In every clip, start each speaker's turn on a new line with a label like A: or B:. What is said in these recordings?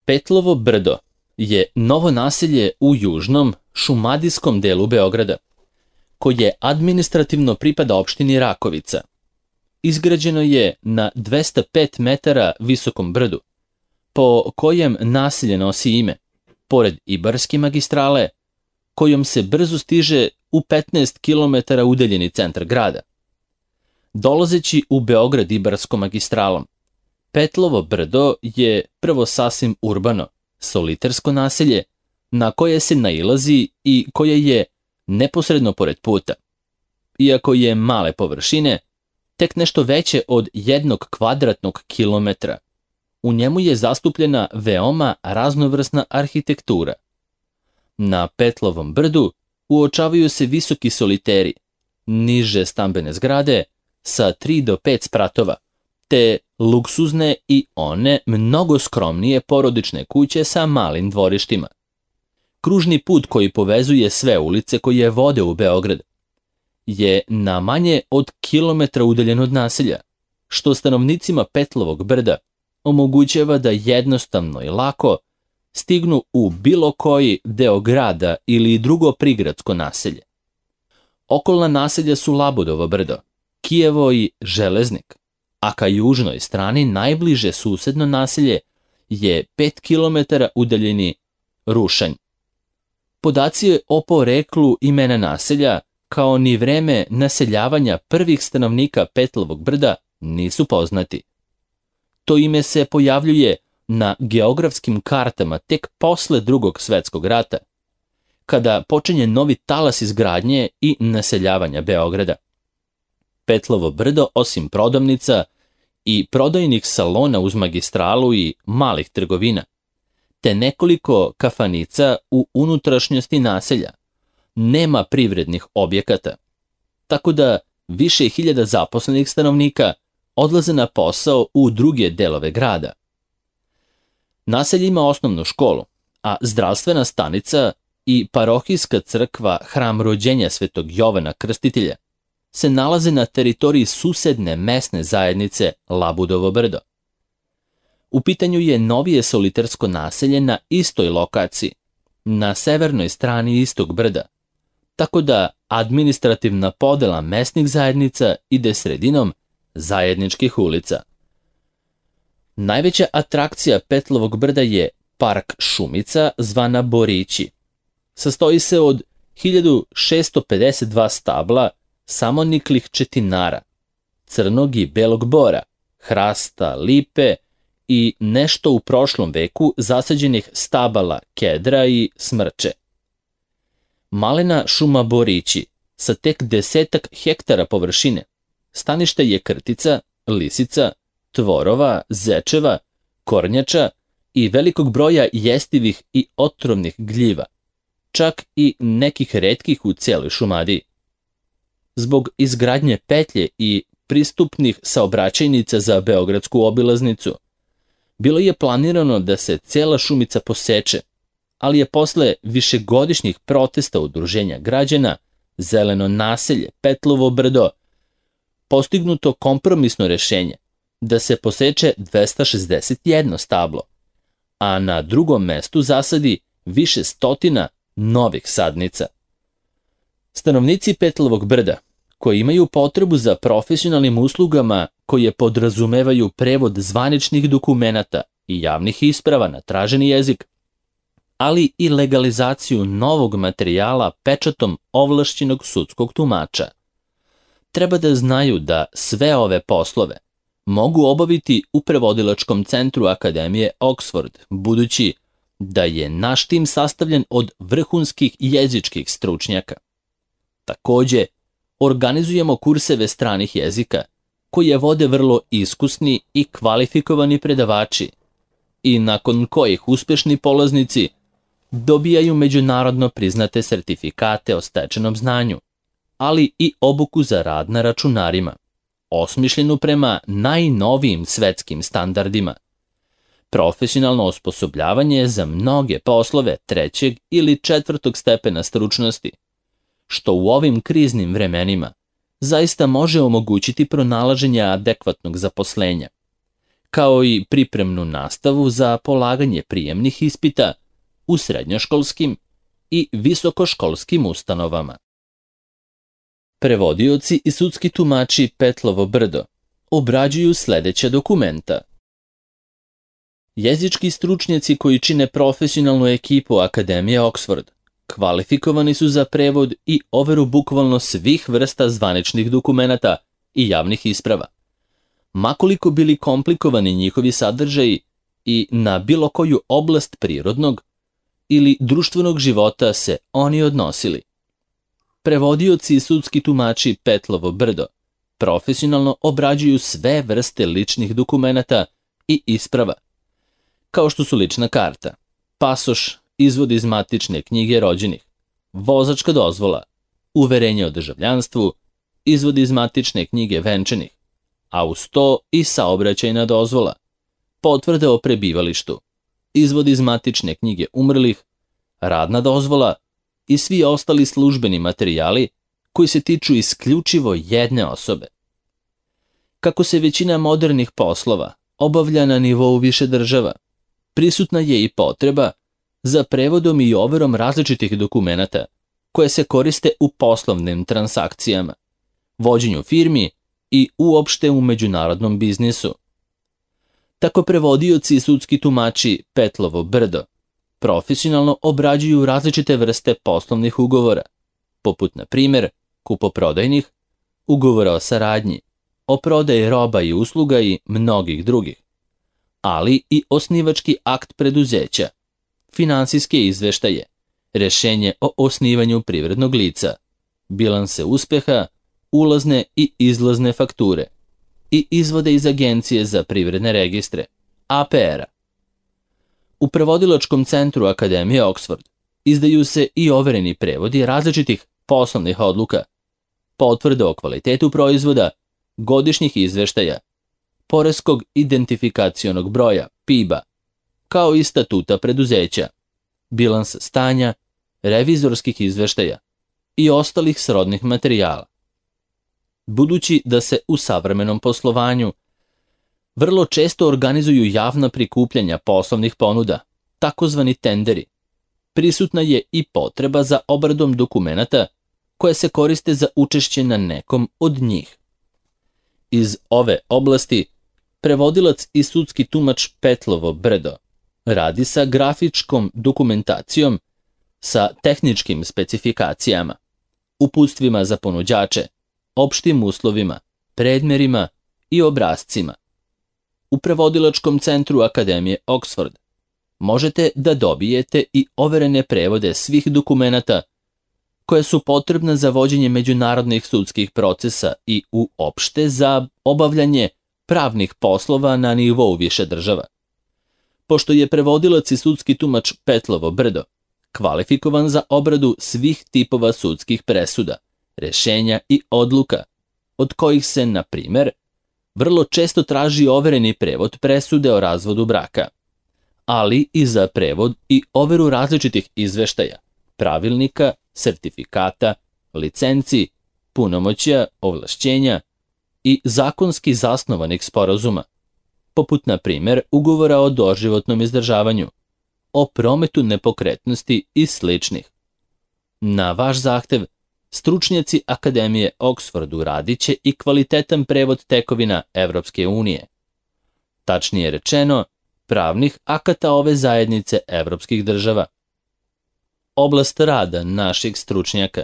A: Petlovo brdo je novo naselje u južnom šumadijskom delu Beograda, koje administrativno pripada opštini Rakovica. Izgrađeno je na 205 metara visokom brdu, po kojem naselje nosi ime, pored Ibarske magistrale, kojom se brzo stiže u 15 km udaljeni centar grada. Dolazeći u Beograd Ibarskom magistralom, Petlovo brdo je prvo sasvim urbano, solitarsko naselje na koje se nailazi i koje je neposredno pored puta. Iako je male površine, tek nešto veće od 1 kvadratnog kilometra, u njemu je zastupljena veoma raznovrsna arhitektura. Na Petlovom brdu uočavaju se visoki soliteri, niže stambene zgrade sa 3 do 5 spratova, te luksuzne i one mnogo skromnije porodične kuće sa malim dvorištima. Kružni put koji povezuje sve ulice koje vode u Beograd je na manje od kilometra udaljen od naselja, što stanovnicima Petlovog brda omogućava da jednostavno i lako stignu u bilo koji deo grada ili drugo prigradsko naselje. Okolna naselja su Labudovo brdo, Kijevo i Železnik, a ka južnoj strani najbliže susedno naselje je 5 km udaljeni Rušanj. Podaci o poreklu imena naselja, kao ni vreme naseljavanja prvih stanovnika Petlovog brda, nisu poznati. To ime se pojavljuje na geografskim kartama tek posle Drugog svetskog rata, kada počinje novi talas izgradnje i naseljavanja Beograda. Petlovo brdo, osim prodavnica i prodajnih salona uz magistralu i malih trgovina, te nekoliko kafanica u unutrašnjosti naselja, nema privrednih objekata, tako da više hiljada zaposlenih stanovnika odlaze na posao u druge delove grada. Naselje ima osnovnu školu, a zdravstvena stanica i parohijska crkva Hram rođenja Svetog Jovana Krstitelja se nalaze na teritoriji susedne mesne zajednice Labudovo brdo. U pitanju je novije solitarsko naselje na istoj lokaciji, na severnoj strani istog brda, tako da administrativna podela mesnih zajednica ide sredinom zajedničkih ulica. Najveća atrakcija Petlovog brda je park Šumica zvana Borići. Sastoji se od 1652 stabla samoniklih četinara, crnog i belog bora, hrasta, lipe i nešto u prošlom veku zasađenih stabala kedra i smrče. Malena šuma Borići sa tek 10 hektara površine, stanište je krtica, lisica, tvorova, zečeva, kornjača i velikog broja jestivih i otrovnih gljiva, čak i nekih retkih u cijeloj Šumadiji. Zbog izgradnje petlje i pristupnih saobraćajnica za beogradsku obilaznicu, bilo je planirano da se cijela Šumica poseče, ali je posle višegodišnjih protesta udruženja građana Zeleno naselje Petlovo brdo postignuto kompromisno rešenje da se poseče 261 stablo, a na drugom mestu zasadi više stotina novih sadnica. Stanovnici Petlovog brda, koji imaju potrebu za profesionalnim uslugama koje podrazumevaju prevod zvaničnih dokumenata i javnih isprava na traženi jezik, ali i legalizaciju novog materijala pečatom ovlašćenog sudskog tumača, treba da znaju da sve ove poslove mogu obaviti u prevodilačkom centru Akademije Oxford, budući da je naš tim sastavljen od vrhunskih jezičkih stručnjaka. Takođe, organizujemo kurseve stranih jezika, koje vode vrlo iskusni i kvalifikovani predavači i nakon kojih uspešni polaznici dobijaju međunarodno priznate sertifikate o stečenom znanju, ali i obuku za rad na računarima, osmišljenu prema najnovijim svetskim standardima. Profesionalno osposobljavanje za mnoge poslove 3. ili 4. stepena stručnosti, što u ovim kriznim vremenima zaista može omogućiti pronalaženje adekvatnog zaposlenja, kao i pripremnu nastavu za polaganje prijemnih ispita u srednjoškolskim i visokoškolskim ustanovama. Prevodioci i sudski tumači Petlovo Brdo obrađuju sledeća dokumenta. Jezički stručnjaci koji čine profesionalnu ekipu Akademije Oxford kvalifikovani su za prevod i overu bukvalno svih vrsta zvaničnih dokumenata i javnih isprava, makoliko bili komplikovani njihovi sadržaji i na bilo koju oblast prirodnog ili društvenog života se oni odnosili. Prevodioci i sudski tumači Petlovo Brdo profesionalno obrađuju sve vrste ličnih dokumenata i isprava, kao što su lična karta, pasoš, izvod iz matične knjige rođenih, vozačka dozvola, uverenje o državljanstvu, izvod iz matične knjige venčanih, a uz to i saobraćajna dozvola, potvrde o prebivalištu, izvod iz matične knjige umrlih, radna dozvola i svi ostali službeni materijali koji se tiču isključivo jedne osobe. Kako se većina modernih poslova obavlja na nivou više država, prisutna je i potreba za prevodom i overom različitih dokumenata koje se koriste u poslovnim transakcijama, vođenju firmi i uopšte u međunarodnom biznisu. Tako prevodioci i sudski tumači Petlovo Brdo profesionalno obrađuju različite vrste poslovnih ugovora, poput na primjer kupoprodajnih, ugovora o saradnji, o prodaji roba i usluga i mnogih drugih, ali i osnivački akt preduzeća, finansijske izveštaje, rešenje o osnivanju privrednog lica, bilanse uspeha, ulazne i izlazne fakture i izvode iz Agencije za privredne registre, APR-a. U prevodilačkom centru Akademije Oxford izdaju se i overeni prevodi različitih poslovnih odluka, potvrde o kvalitetu proizvoda, godišnjih izveštaja, poreskog identifikacionog broja, PIB-a, kao i statuta preduzeća, bilans stanja, revizorskih izveštaja i ostalih srodnih materijala. Budući da se u savremenom poslovanju vrlo često organizuju javna prikupljanja poslovnih ponuda, takozvani tenderi, prisutna je i potreba za obradom dokumenata koje se koriste za učešće na nekom od njih. Iz ove oblasti prevodilac i sudski tumač Petlovo Brdo radi sa grafičkom dokumentacijom, sa tehničkim specifikacijama, uputstvima za ponuđače, opštim uslovima, predmerima i obrascima. U prevodilačkom centru Akademije Oxford možete da dobijete i overene prevode svih dokumenata koje su potrebne za vođenje međunarodnih sudskih procesa i uopšte za obavljanje pravnih poslova na nivou više država. Pošto je prevodilac i sudski tumač Petlovo Brdo kvalifikovan za obradu svih tipova sudskih presuda, rešenja i odluka, od kojih se, na primer, vrlo često traži overeni prevod presude o razvodu braka, ali i za prevod i overu različitih izveštaja, pravilnika, sertifikata, licenci, punomoćja, ovlašćenja i zakonski zasnovanih sporazuma, poput na primjer ugovora o doživotnom izdržavanju, o prometu nepokretnosti i sličnih. Na vaš zahtev, stručnjaci Akademije Oxford uradit će i kvalitetan prevod tekovina Evropske unije. Tačnije rečeno, pravnih akata ove zajednice evropskih država. Oblast rada naših stručnjaka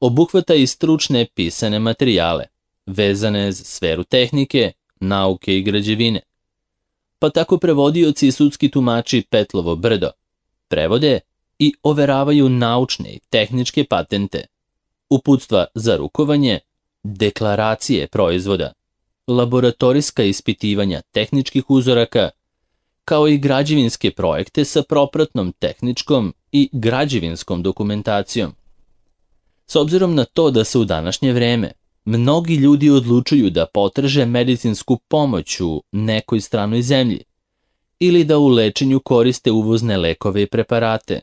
A: obuhvata i stručne pisane materijale, vezane za sferu tehnike, nauke i građevine. Pa tako prevodioci i sudski tumači Petlovo Brdo prevode i overavaju naučne i tehničke patente, uputstva za rukovanje, deklaracije proizvoda, laboratorijska ispitivanja tehničkih uzoraka, kao i građevinske projekte sa propratnom tehničkom i građevinskom dokumentacijom. S obzirom na to da se u današnje vreme mnogi ljudi odlučuju da potraže medicinsku pomoć u nekoj stranoj zemlji ili da u lečenju koriste uvozne lekove i preparate,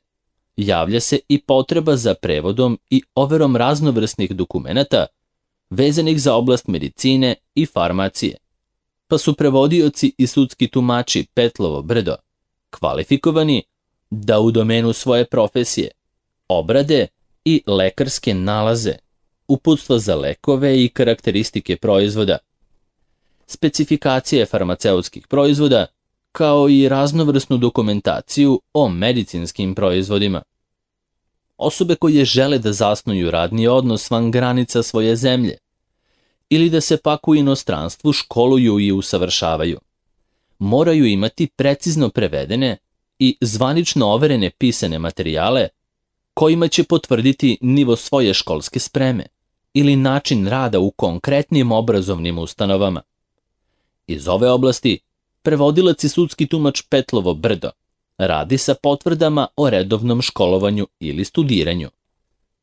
A: javlja se i potreba za prevodom i overom raznovrsnih dokumenata vezanih za oblast medicine i farmacije, pa su prevodioci i sudski tumači Petlovo Brdo kvalifikovani da u domenu svoje profesije obrade i lekarske nalaze, uputstva za lekove i karakteristike proizvoda, specifikacije farmaceutskih proizvoda, kao i raznovrsnu dokumentaciju o medicinskim proizvodima. Osobe koje žele da zasnuju radni odnos van granica svoje zemlje ili da se pak u inostranstvu školuju i usavršavaju, moraju imati precizno prevedene i zvanično overene pisane materijale kojima će potvrditi nivo svoje školske spreme ili način rada u konkretnim obrazovnim ustanovama. Iz ove oblasti prevodilac i sudski tumač Petlovo Brdo radi sa potvrdama o redovnom školovanju ili studiranju,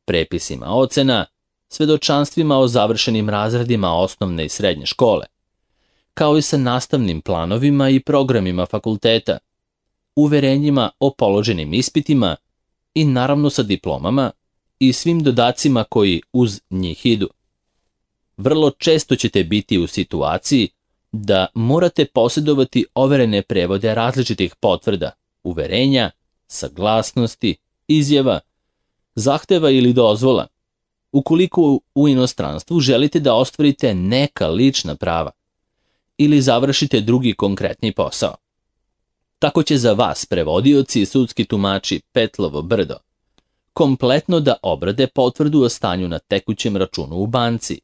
A: prepisima ocena, svedočanstvima o završenim razredima osnovne i srednje škole, kao i sa nastavnim planovima i programima fakulteta, uverenjima o položenim ispitima i naravno sa diplomama i svim dodacima koji uz njih idu. Vrlo često ćete biti u situaciji da morate posjedovati overene prevode različitih potvrda, uverenja, saglasnosti, izjava, zahteva ili dozvola, ukoliko u inostranstvu želite da ostvarite neka lična prava ili završite drugi konkretni posao. Tako će za vas prevodioci i sudski tumači Petlovo Brdo kompletno da obrade potvrdu o stanju na tekućem računu u banci,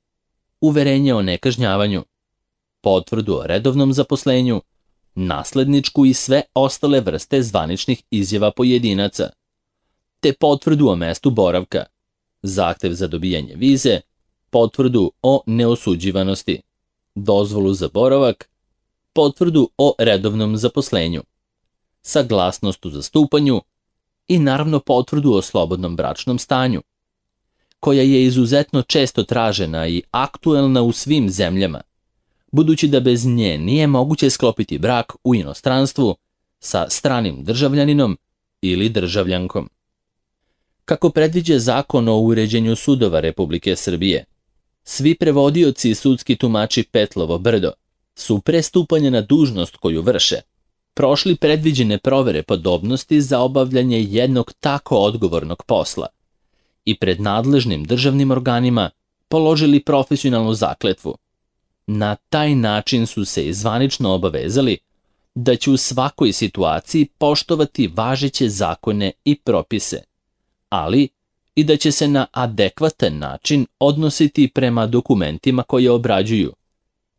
A: uverenje o nekažnjavanju, potvrdu o redovnom zaposlenju, nasledničku i sve ostale vrste zvaničnih izjava pojedinaca, te potvrdu o mestu boravka, zahtev za dobijanje vize, potvrdu o neosuđivanosti, dozvolu za boravak, potvrdu o redovnom zaposlenju, saglasnost u zastupanju i naravno potvrdu o slobodnom bračnom stanju, koja je izuzetno često tražena i aktuelna u svim zemljama, budući da bez nje nije moguće sklopiti brak u inostranstvu sa stranim državljaninom ili državljankom. Kako predviđa Zakon o uređenju sudova Republike Srbije, svi prevodioci i sudski tumači Petlovo Brdo su pre stupanja na dužnost koju vrše prošli predviđene provere podobnosti za obavljanje jednog tako odgovornog posla i pred nadležnim državnim organima položili profesionalnu zakletvu. Na taj način su se i zvanično obavezali da će u svakoj situaciji poštovati važeće zakone i propise, ali i da će se na adekvatan način odnositi prema dokumentima koje obrađuju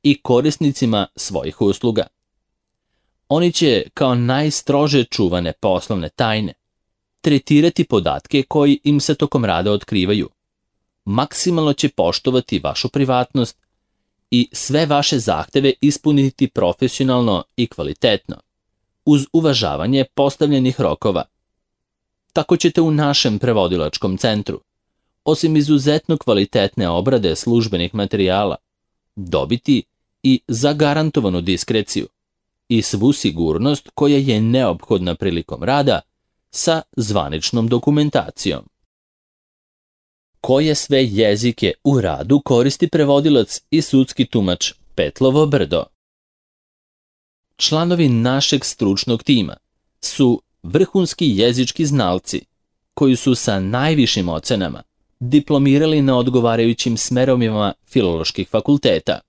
A: i korisnicima svojih usluga. Oni će, kao najstrože čuvane poslovne tajne, tretirati podatke koji im se tokom rada otkrivaju. Maksimalno će poštovati vašu privatnost i sve vaše zahteve ispuniti profesionalno i kvalitetno, uz uvažavanje postavljenih rokova. Tako ćete u našem prevodilačkom centru, osim izuzetno kvalitetne obrade službenih materijala, dobiti i zagarantovanu diskreciju i svu sigurnost koja je neophodna prilikom rada sa zvaničnom dokumentacijom. Koje sve jezike u radu koristi prevodilac i sudski tumač Petlovo Brdo? Članovi našeg stručnog tima su vrhunski jezički znalci koji su sa najvišim ocenama diplomirali na odgovarajućim smerovima filoloških fakulteta.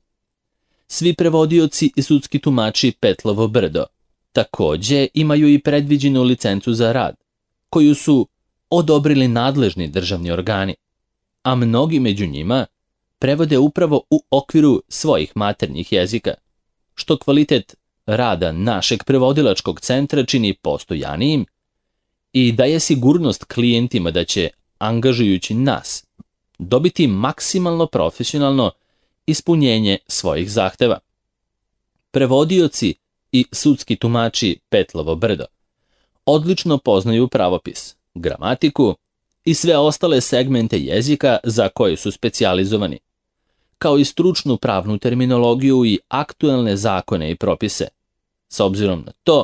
A: Svi prevodioci i sudski tumači Petlovo Brdo takođe imaju i predviđenu licencu za rad, koju su odobrili nadležni državni organi, a mnogi među njima prevode upravo u okviru svojih maternjih jezika, što kvalitet rada našeg prevodilačkog centra čini postojanijim i daje sigurnost klijentima da će, angažujući nas, dobiti maksimalno profesionalno ispunjenje svojih zahteva. Prevodioci i sudski tumači Petlovo Brdo odlično poznaju pravopis, gramatiku i sve ostale segmente jezika za koje su specijalizovani, kao i stručnu pravnu terminologiju i aktuelne zakone i propise, s obzirom na to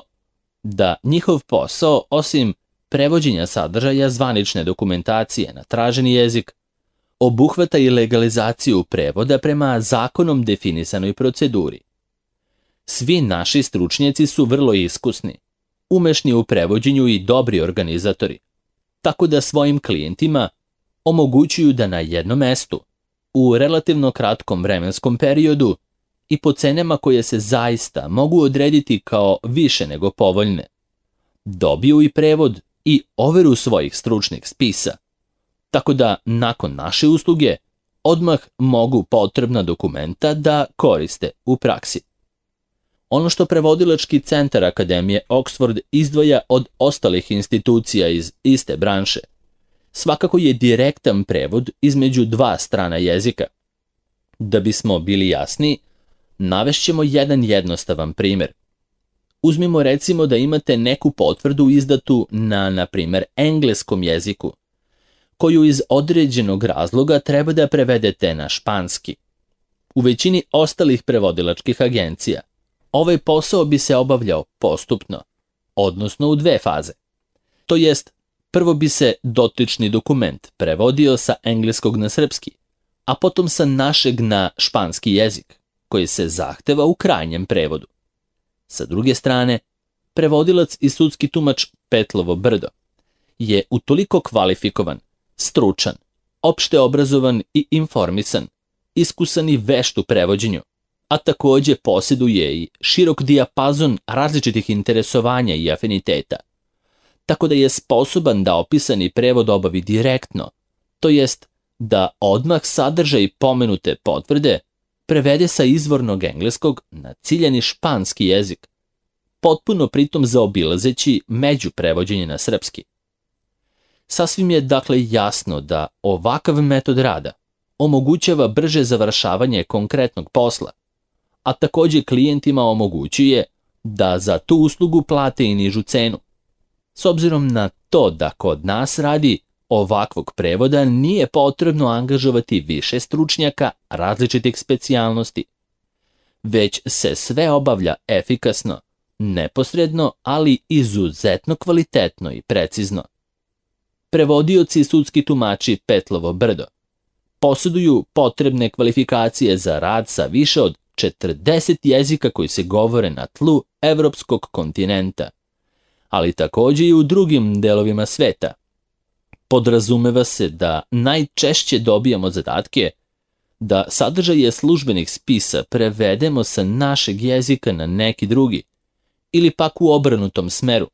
A: da njihov posao, osim prevođenja sadržaja zvanične dokumentacije na traženi jezik, obuhvata i legalizaciju prevoda prema zakonom definisanoj proceduri. Svi naši stručnjaci su vrlo iskusni, umešni u prevođenju i dobri organizatori, tako da svojim klijentima omogućuju da na jednom mestu, u relativno kratkom vremenskom periodu i po cenama koje se zaista mogu odrediti kao više nego povoljne, dobiju i prevod i overu svojih stručnih spisa, tako da nakon naše usluge odmah mogu potrebna dokumenta da koriste u praksi. Ono što Prevodilački centar Akademije Oxford izdvaja od ostalih institucija iz iste branše svakako je direktan prevod između dva strana jezika. Da bismo bili jasni, navešćemo jedan jednostavan primjer. Uzmimo recimo da imate neku potvrdu izdatu na primjer, engleskom jeziku, koju iz određenog razloga treba da prevedete na španski. U većini ostalih prevodilačkih agencija ovaj posao bi se obavljao postupno, odnosno u dve faze. To jest, prvo bi se dotični dokument prevodio sa engleskog na srpski, a potom sa našeg na španski jezik, koji se zahteva u krajnjem prevodu. Sa druge strane, prevodilac i sudski tumač Petlovo Brdo je utoliko kvalifikovan, stručan, opšte obrazovan i informisan, iskusan i vešt u prevođenju, a takođe posjeduje i širok dijapazon različitih interesovanja i afiniteta, tako da je sposoban da opisani prevod obavi direktno, to jest da odmah sadržaj pomenute potvrde prevede sa izvornog engleskog na ciljani španski jezik, potpuno pritom zaobilazeći međuprevođenje na srpski. Sasvim je dakle jasno da ovakav metod rada omogućava brže završavanje konkretnog posla, a takođe klijentima omogućuje da za tu uslugu plate i nižu cenu. S obzirom na to da kod nas radi ovakvog prevoda nije potrebno angažovati više stručnjaka različitih specijalnosti, već se sve obavlja efikasno, neposredno, ali izuzetno kvalitetno i precizno. Prevodioci i sudski tumači Petlovo Brdo posjeduju potrebne kvalifikacije za rad sa više od 40 jezika koji se govore na tlu evropskog kontinenta, ali takođe i u drugim delovima sveta. Podrazumeva se da najčešće dobijamo zadatke da sadržaje službenih spisa prevedemo sa našeg jezika na neki drugi, ili pak u obrnutom smeru,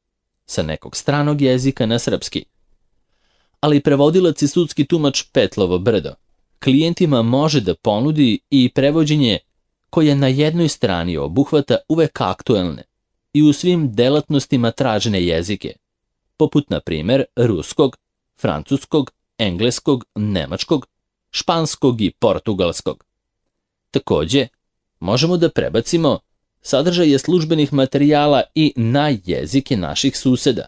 A: sa nekog stranog jezika na srpski. Ali prevodilac i sudski tumač Petlovo Brdo klijentima može da ponudi i prevođenje koje na jednoj strani obuhvata uvek aktuelne i u svim delatnostima tražene jezike, poput na primjer ruskog, francuskog, engleskog, nemačkog, španskog i portugalskog. Takođe, možemo da prebacimo sadržaje službenih materijala i na jezike naših suseda,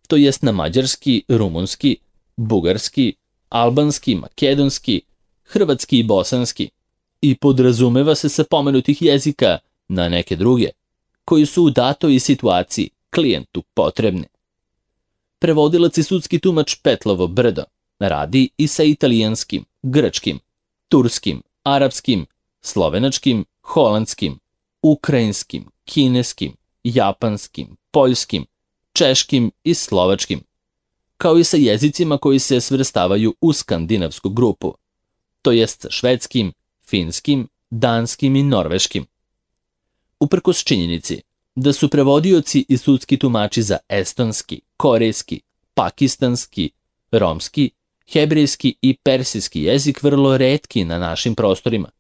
A: to jest na mađarski, rumunski, bugarski, albanski, makedonski, hrvatski i bosanski, i podrazumeva se sa pomenutih jezika na neke druge, koji su u datoj situaciji klijentu potrebni. Prevodilac i sudski tumač Petlovo Brdo radi i sa italijanskim, grčkim, turskim, arapskim, slovenačkim, holandskim, ukrajinskim, kineskim, japanskim, poljskim, češkim i slovačkim, kao i sa jezicima koji se svrstavaju u skandinavsku grupu, to jest sa švedskim, finskim, danskim i norveškim. Uprkos činjenici da su prevodioci i sudski tumači za estonski, korejski, pakistanski, romski, hebrejski i persijski jezik vrlo retki na našim prostorima,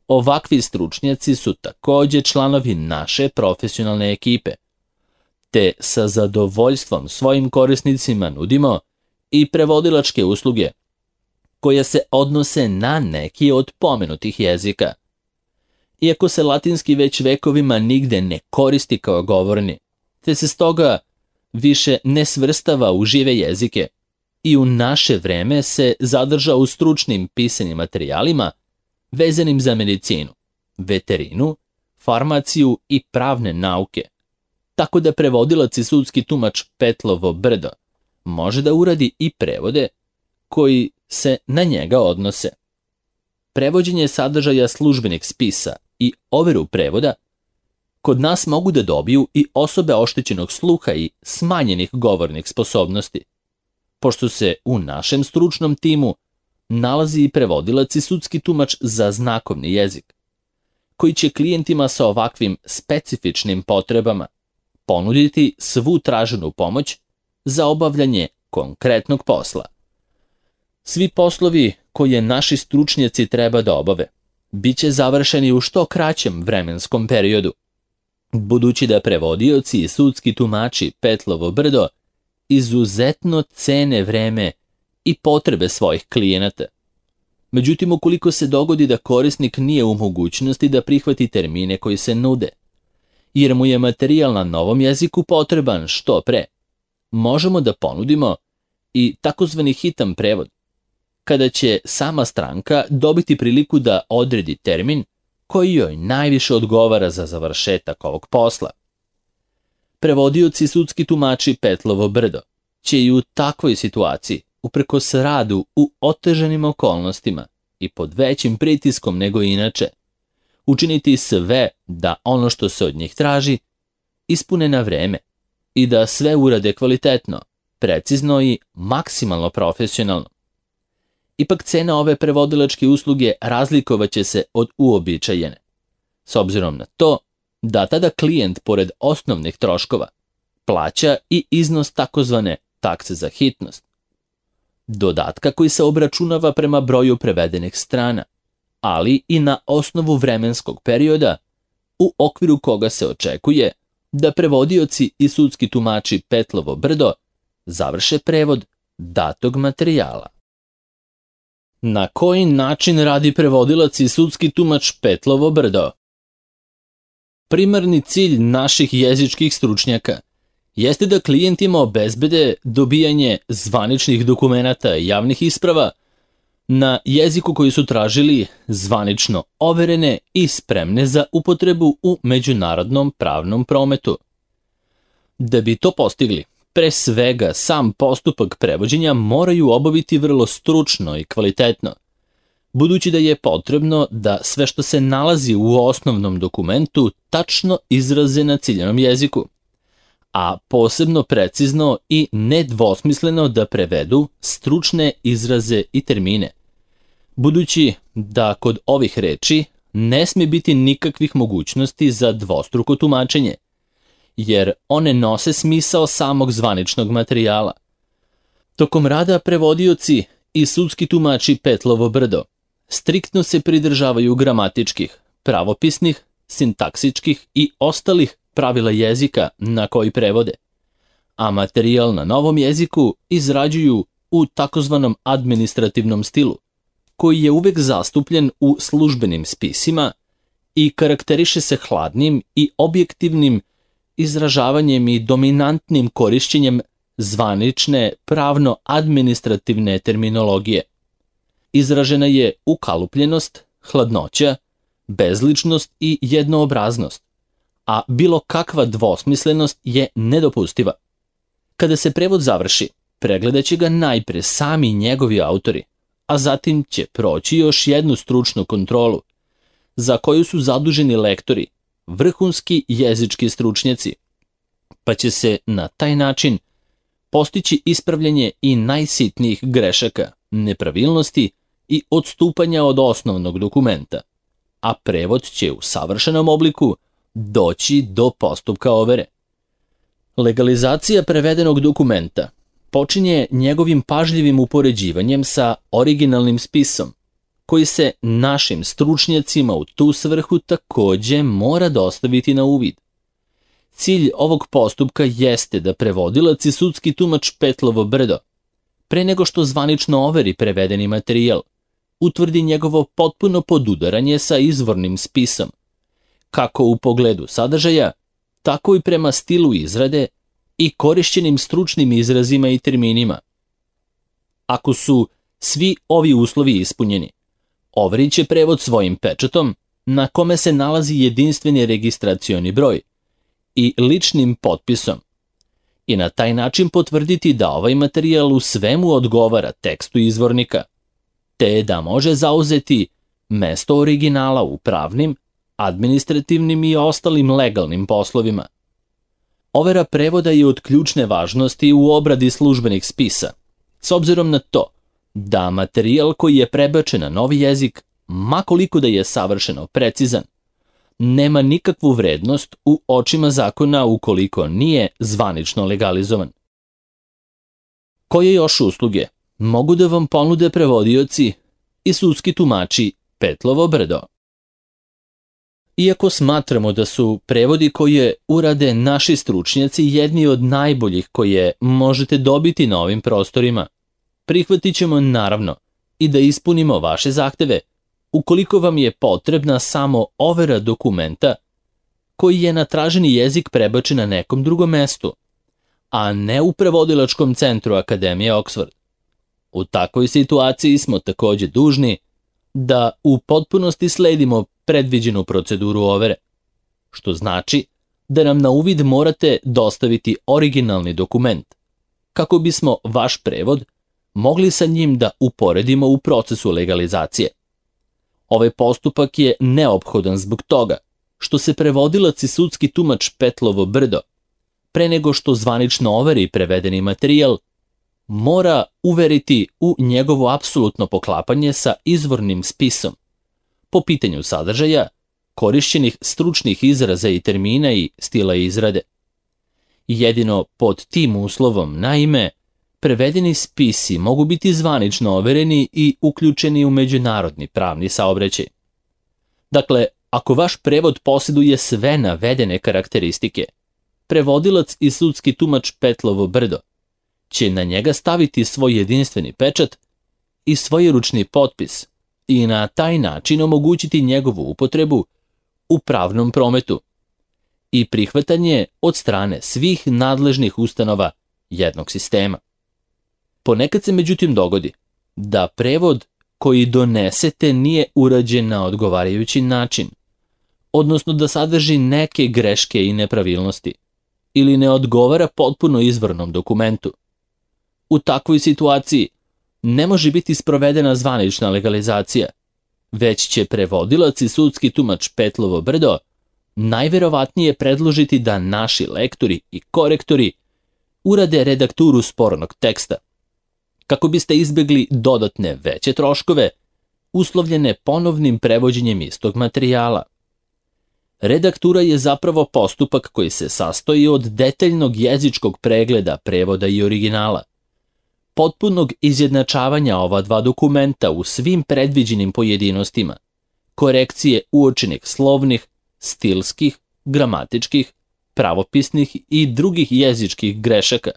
A: ovakvi stručnjaci su takođe članovi naše profesionalne ekipe, te sa zadovoljstvom svojim korisnicima nudimo i prevodilačke usluge koje se odnose na neki od pomenutih jezika. Iako se latinski već vekovima nigde ne koristi kao govorni, te se stoga više ne svrstava u žive jezike i u naše vreme se zadrža u stručnim pisanim materijalima vezanim za medicinu, veterinu, farmaciju i pravne nauke, tako da prevodilac i sudski tumač Petlovo Brdo može da uradi i prevode koji se na njega odnose. Prevođenje sadržaja službenih spisa i overu prevoda kod nas mogu da dobiju i osobe oštećenog sluha i smanjenih govornih sposobnosti, pošto se u našem stručnom timu nalazi i prevodilac i sudski tumač za znakovni jezik, koji će klijentima sa ovakvim specifičnim potrebama ponuditi svu traženu pomoć za obavljanje konkretnog posla. Svi poslovi koje naši stručnjaci treba da obave biće završeni u što kraćem vremenskom periodu, budući da prevodioci i sudski tumači Petlovo brdo izuzetno cene vreme i potrebe svojih klijenata. Međutim, ukoliko se dogodi da korisnik nije u mogućnosti da prihvati termine koji se nude, jer mu je materijal na novom jeziku potreban što pre, možemo da ponudimo i takozvani hitan prevod, kada će sama stranka dobiti priliku da odredi termin koji joj najviše odgovara za završetak ovog posla. Prevodioci i sudski tumači Petlovo brdo će i u takvoj situaciji, uprkos radu u otežanim okolnostima i pod većim pritiskom nego inače, učiniti sve da ono što se od njih traži ispune na vreme i da sve urade kvalitetno, precizno i maksimalno profesionalno. Ipak cena ove prevodilačke usluge razlikovaće se od uobičajene, s obzirom na to da tada klijent, pored osnovnih troškova, plaća i iznos takozvane takse za hitnost, dodatka koji se obračunava prema broju prevedenih strana, ali i na osnovu vremenskog perioda u okviru koga se očekuje da prevodioci i sudski tumači Petlovo brdo završe prevod datog materijala. Na koji način radi prevodilac i sudski tumač Petlovo brdo? Primarni cilj naših jezičkih stručnjaka jeste da klijentima obezbede dobijanje zvaničnih dokumenata i javnih isprava na jeziku koji su tražili, zvanično overene i spremne za upotrebu u međunarodnom pravnom prometu. Da bi to postigli, pre svega sam postupak prevođenja moraju obaviti vrlo stručno i kvalitetno, budući da je potrebno da sve što se nalazi u osnovnom dokumentu tačno izraze na ciljanom jeziku, a posebno precizno i nedvosmisleno da prevedu stručne izraze i termine, budući da kod ovih reči ne sme biti nikakvih mogućnosti za dvostruko tumačenje, jer one nose smisao samog zvaničnog materijala. Tokom rada prevodioci i sudski tumači Petlovo brdo striktno se pridržavaju gramatičkih, pravopisnih, sintaksičkih i ostalih pravila jezika na koji prevode, a materijal na novom jeziku izrađuju u takozvanom administrativnom stilu, koji je uvek zastupljen u službenim spisima i karakteriše se hladnim i objektivnim izražavanjem i dominantnim korišćenjem zvanične pravno-administrativne terminologije. Izražena je ukalupljenost, hladnoća, bezličnost i jednoobraznost, a bilo kakva dvosmislenost je nedopustiva. Kada se prevod završi, pregledat će ga najpre sami njegovi autori, a zatim će proći još jednu stručnu kontrolu, za koju su zaduženi lektori, vrhunski jezički stručnjaci, pa će se na taj način postići ispravljanje i najsitnijih grešaka, nepravilnosti i odstupanja od osnovnog dokumenta, a prevod će u savršenom obliku doći do postupka overe. Legalizacija prevedenog dokumenta počinje njegovim pažljivim upoređivanjem sa originalnim spisom, koji se našim stručnjacima u tu svrhu takođe mora dostaviti na uvid. Cilj ovog postupka jeste da prevodilac i sudski tumač Petlovo brdo, pre nego što zvanično overi prevedeni materijal, utvrdi njegovo potpuno podudaranje sa izvornim spisom, kako u pogledu sadržaja, tako i prema stilu izrade i korišćenim stručnim izrazima i terminima. Ako su svi ovi uslovi ispunjeni, overit će prevod svojim pečatom na kome se nalazi jedinstveni registracioni broj i ličnim potpisom i na taj način potvrditi da ovaj materijal u svemu odgovara tekstu izvornika, te da može zauzeti mesto originala u pravnim, administrativnim i ostalim legalnim poslovima. Overa prevoda je od ključne važnosti u obradi službenih spisa, s obzirom na to da materijal koji je prebačen na novi jezik, ma koliko da je savršeno precizan, nema nikakvu vrednost u očima zakona ukoliko nije zvanično legalizovan. Koje još usluge mogu da vam ponude prevodioci i sudski tumači Petlovo brdo? Iako smatramo da su prevodi koje urade naši stručnjaci jedni od najboljih koje možete dobiti na ovim prostorima, prihvatit ćemo naravno i da ispunimo vaše zahteve ukoliko vam je potrebna samo overa dokumenta koji je na traženi jezik prebačen na nekom drugom mestu, a ne u prevodilačkom centru Akademije Oxford. U takvoj situaciji smo takođe dužni da u potpunosti sledimo predviđenu proceduru overe, što znači da nam na uvid morate dostaviti originalni dokument, kako bismo vaš prevod mogli sa njim da uporedimo u procesu legalizacije. Ovaj postupak je neophodan zbog toga što se prevodilac i sudski tumač Petlovo brdo, pre nego što zvanično overi prevedeni materijal, mora uveriti u njegovo apsolutno poklapanje sa izvornim spisom po pitanju sadržaja, korišćenih stručnih izraza i termina i stila izrade. Jedino pod tim uslovom, naime, prevedeni spisi mogu biti zvanično overeni i uključeni u međunarodni pravni saobraćaj. Dakle, ako vaš prevod posjeduje sve navedene karakteristike, prevodilac i sudski tumač Petlovo brdo će na njega staviti svoj jedinstveni pečat i svojeručni potpis i na taj način omogućiti njegovu upotrebu u pravnom prometu i prihvatanje od strane svih nadležnih ustanova jednog sistema. Ponekad se međutim dogodi da prevod koji donesete nije urađen na odgovarajući način, odnosno da sadrži neke greške i nepravilnosti, ili ne odgovara potpuno izvornom dokumentu. U takvoj situaciji ne može biti sprovedena zvanična legalizacija, već će prevodilac i sudski tumač Petlovo brdo najverovatnije predložiti da naši lektori i korektori urade redakturu spornog teksta, kako biste izbegli dodatne veće troškove uslovljene ponovnim prevođenjem istog materijala. Redaktura je zapravo postupak koji se sastoji od detaljnog jezičkog pregleda prevoda i originala, potpunog izjednačavanja ova dva dokumenta u svim predviđenim pojedinostima, korekcije uočenih slovnih, stilskih, gramatičkih, pravopisnih i drugih jezičkih grešaka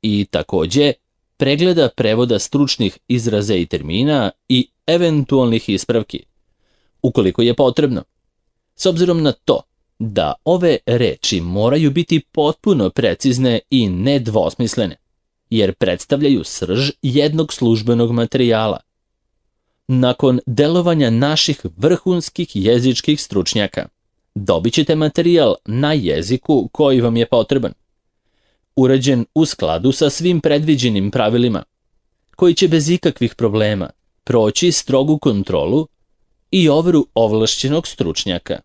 A: i takođe pregleda prevoda stručnih izraza i termina i eventualnih ispravki, ukoliko je potrebno. S obzirom na to da ove reči moraju biti potpuno precizne i nedvosmislene, jer predstavljaju srž jednog službenog materijala. Nakon delovanja naših vrhunskih jezičkih stručnjaka, dobit ćete materijal na jeziku koji vam je potreban, urađen u skladu sa svim predviđenim pravilima, koji će bez ikakvih problema proći strogu kontrolu i overu ovlašćenog stručnjaka.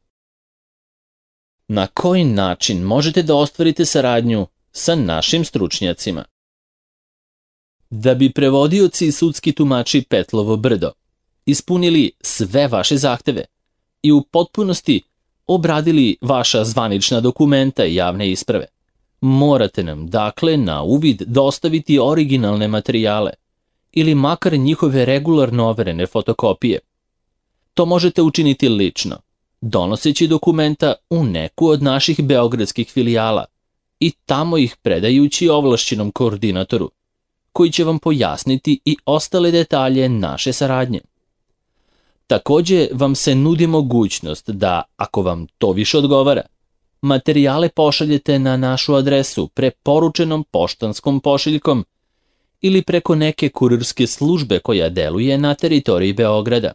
A: Na koji način možete da ostvarite saradnju sa našim stručnjacima? Da bi prevodioci i sudski tumači Petlovo brdo ispunili sve vaše zahteve i u potpunosti obradili vaša zvanična dokumenta i javne isprave, morate nam dakle na uvid dostaviti originalne materijale ili makar njihove regularno overene fotokopije. To možete učiniti lično, donoseći dokumenta u neku od naših beogradskih filijala i tamo ih predajući ovlašćenom koordinatoru, koji će vam pojasniti i ostale detalje naše saradnje. Takođe vam se nudi mogućnost da, ako vam to više odgovara, materijale pošaljete na našu adresu preporučenom poštanskom pošiljkom ili preko neke kurirske službe koja deluje na teritoriji Beograda.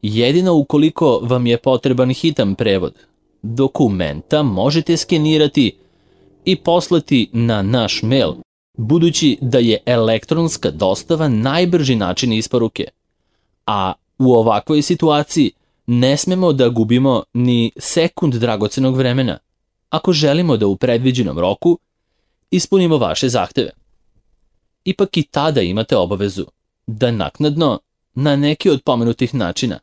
A: Jedino ukoliko vam je potreban hitan prevod, dokumenta možete skenirati i poslati na naš mail, budući da je elektronska dostava najbrži način isporuke, a u ovakvoj situaciji Ne smemo da gubimo ni sekund dragocenog vremena ako želimo da u predviđenom roku ispunimo vaše zahteve. Ipak i tada imate obavezu da naknadno, na neki od pomenutih načina,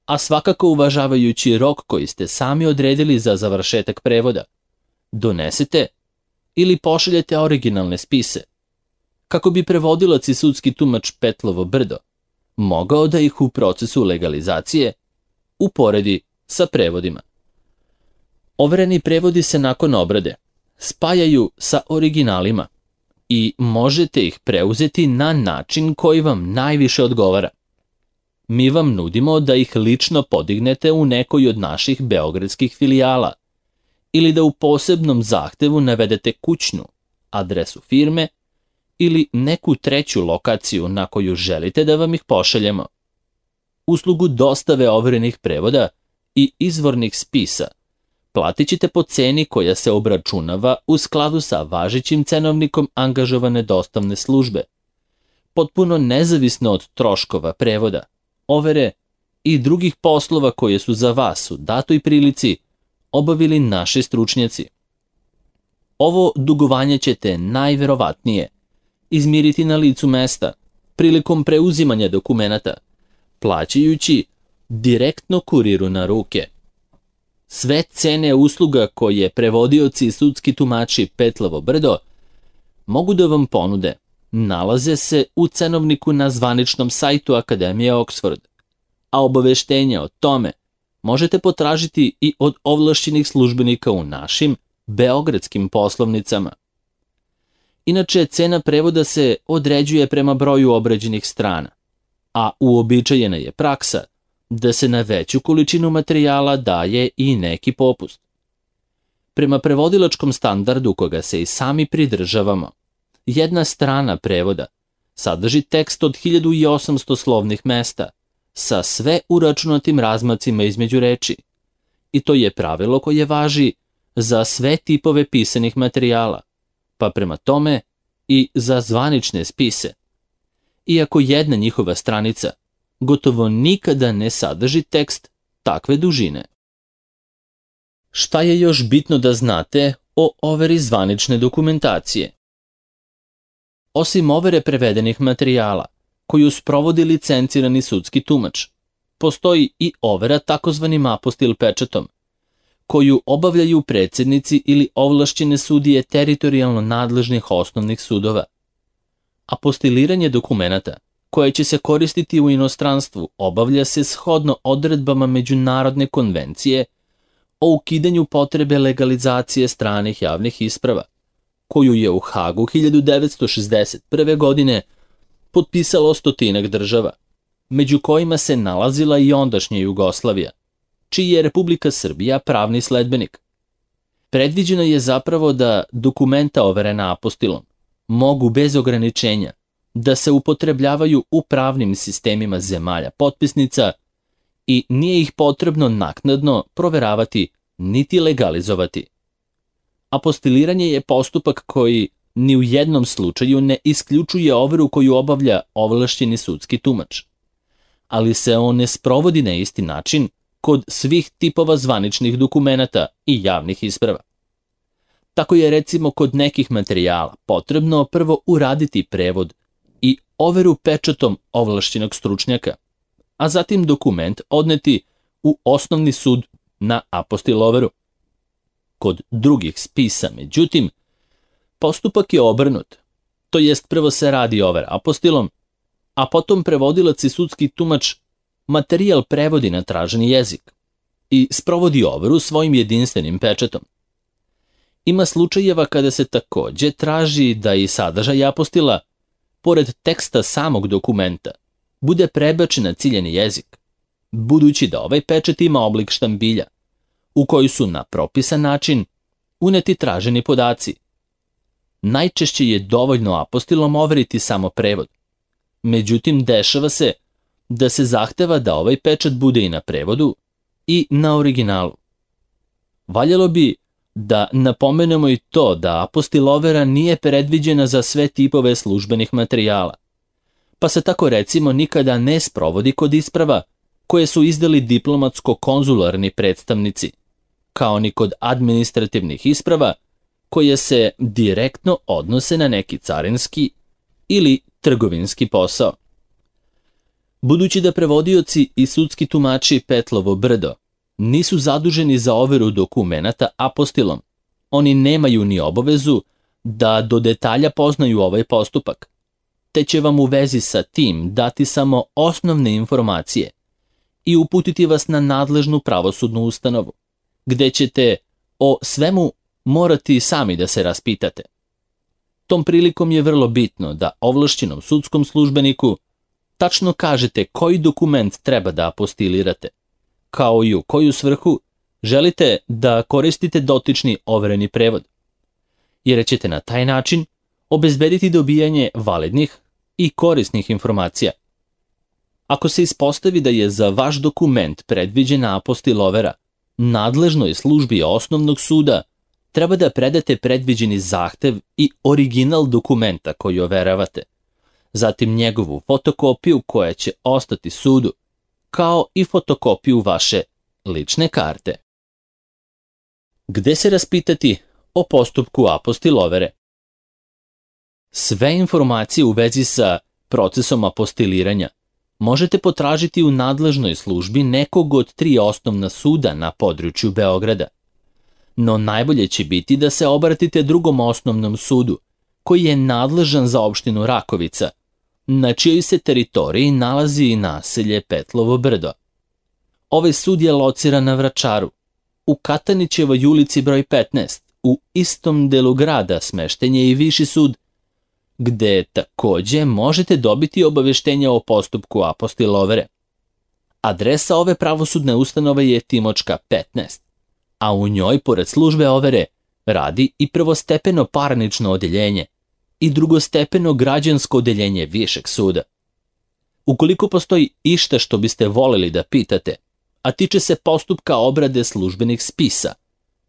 A: a svakako uvažavajući rok koji ste sami odredili za završetak prevoda, donesete ili pošaljete originalne spise, kako bi prevodilac i sudski tumač Petlovo Brdo mogao da ih u procesu legalizacije uporedi sa prevodima. Overeni prevodi se nakon obrade spajaju sa originalima i možete ih preuzeti na način koji vam najviše odgovara. Mi vam nudimo da ih lično podignete u nekoj od naših beogradskih filijala ili da u posebnom zahtevu navedete kućnu, adresu firme ili neku treću lokaciju na koju želite da vam ih pošaljemo. Uslugu dostave overenih prevoda i izvornih spisa platit ćete po ceni koja se obračunava u skladu sa važećim cenovnikom angažovane dostavne službe, potpuno nezavisno od troškova prevoda, overe i drugih poslova koje su za vas u datoj prilici obavili naši stručnjaci. Ovo dugovanje ćete najverovatnije izmiriti na licu mesta prilikom preuzimanja dokumenata, plaćajući direktno kuriru na ruke. Sve cene usluga koje prevodioci i sudski tumači Petlovo Brdo mogu da vam ponude nalaze se u cenovniku na zvaničnom sajtu Akademije Oxford, a obaveštenja o tome možete potražiti i od ovlašćenih službenika u našim beogradskim poslovnicama. Inače, cena prevoda se određuje prema broju obrađenih strana, a uobičajena je praksa da se na veću količinu materijala daje i neki popust. Prema prevodilačkom standardu koga se i sami pridržavamo, jedna strana prevoda sadrži tekst od 1800 slovnih mesta sa sve uračunatim razmacima između reči, i to je pravilo koje važi za sve tipove pisanih materijala, pa prema tome i za zvanične spise. Iako jedna njihova stranica gotovo nikada ne sadrži tekst takve dužine. Šta je još bitno da znate o overi zvanične dokumentacije? Osim overe prevedenih materijala, koju sprovodi licencirani sudski tumač, postoji i overa takozvanim apostil pečatom, koju obavljaju predsjednici ili ovlašćene sudije teritorijalno nadležnih osnovnih sudova. Apostiliranje dokumenata koje će se koristiti u inostranstvu obavlja se shodno odredbama Međunarodne konvencije o ukidanju potrebe legalizacije stranih javnih isprava, koju je u Hagu 1961. godine potpisalo 100 država, među kojima se nalazila i ondašnja Jugoslavija, čiji je Republika Srbija pravni sledbenik. Predviđeno je zapravo da dokumenta overena apostilom mogu bez ograničenja da se upotrebljavaju u pravnim sistemima zemalja potpisnica i nije ih potrebno naknadno proveravati niti legalizovati. Apostiliranje je postupak koji ni u jednom slučaju ne isključuje overu koju obavlja ovlašćeni sudski tumač, ali se on ne sprovodi na isti način kod svih tipova zvaničnih dokumenata i javnih isprava. Tako je recimo kod nekih materijala potrebno prvo uraditi prevod i overu pečatom ovlašćenog stručnjaka, a zatim dokument odneti u osnovni sud na apostil overu. Kod drugih spisa, međutim, postupak je obrnut, to jest prvo se radi overa apostilom, a potom prevodilac i sudski tumač materijal prevodi na traženi jezik i sprovodi overu svojim jedinstvenim pečatom. Ima slučajeva kada se takođe traži da i sadržaj apostila, pored teksta samog dokumenta, bude prebačen na ciljani jezik, budući da ovaj pečat ima oblik štambilja, u koji su na propisan način uneti traženi podaci. Najčešće je dovoljno apostilom overiti samo prevod. Međutim, dešava se da se zahteva da ovaj pečat bude i na prevodu i na originalu. Valjalo bi da napomenemo i to da apostil overa nije predviđena za sve tipove službenih materijala, pa se tako recimo nikada ne sprovodi kod isprava koje su izdali diplomatsko-konzularni predstavnici, kao ni kod administrativnih isprava koje se direktno odnose na neki carinski ili trgovinski posao. Budući da prevodioci i sudski tumači Petlovo brdo nisu zaduženi za overu dokumenata apostilom, oni nemaju ni obavezu da do detalja poznaju ovaj postupak, te će vam u vezi sa tim dati samo osnovne informacije i uputiti vas na nadležnu pravosudnu ustanovu, gde ćete o svemu morati sami da se raspitate. Tom prilikom je vrlo bitno da ovlašćenom sudskom službeniku tačno kažete koji dokument treba da apostilirate, kao i u koju svrhu želite da koristite dotični overeni prevod, jer ćete na taj način obezbediti dobijanje validnih i korisnih informacija. Ako se ispostavi da je za vaš dokument predviđena apostil overa, nadležnoj službi osnovnog suda treba da predate predviđeni zahtev i original dokumenta koji overavate, zatim njegovu fotokopiju koja će ostati sudu, kao i fotokopiju vaše lične karte. Gde se raspitati o postupku apostil overe? Sve informacije u vezi sa procesom apostiliranja možete potražiti u nadležnoj službi nekog od 3 osnovna suda na području Beograda. No najbolje će biti da se obratite drugom osnovnom sudu, koji je nadležan za opštinu Rakovica, na čijoj se teritoriji nalazi i naselje Petlovo brdo. Ovaj sud je lociran na Vračaru, u Katanićevoj ulici broj 15, u istom delu grada smešten je i Viši sud, gde takođe možete dobiti obaveštenja o postupku apostil overe. Adresa ove pravosudne ustanove je Timočka 15, a u njoj, pored službe overe, radi i prvostepeno parnično odeljenje i drugostepeno građansko odeljenje Višeg suda. Ukoliko postoji išta što biste voleli da pitate, a tiče se postupka obrade službenih spisa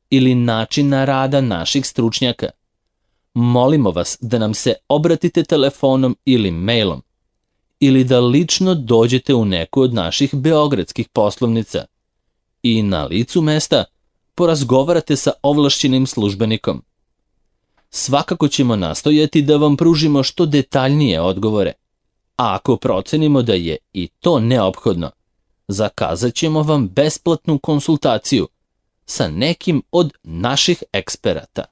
A: ili načina rada naših stručnjaka, molimo vas da nam se obratite telefonom ili mailom, ili da lično dođete u neku od naših beogradskih poslovnica i na licu mesta porazgovarate sa ovlašćenim službenikom. Svakako ćemo nastojati da vam pružimo što detaljnije odgovore, a ako procenimo da je i to neophodno, zakazat ćemo vam besplatnu konsultaciju sa nekim od naših eksperata.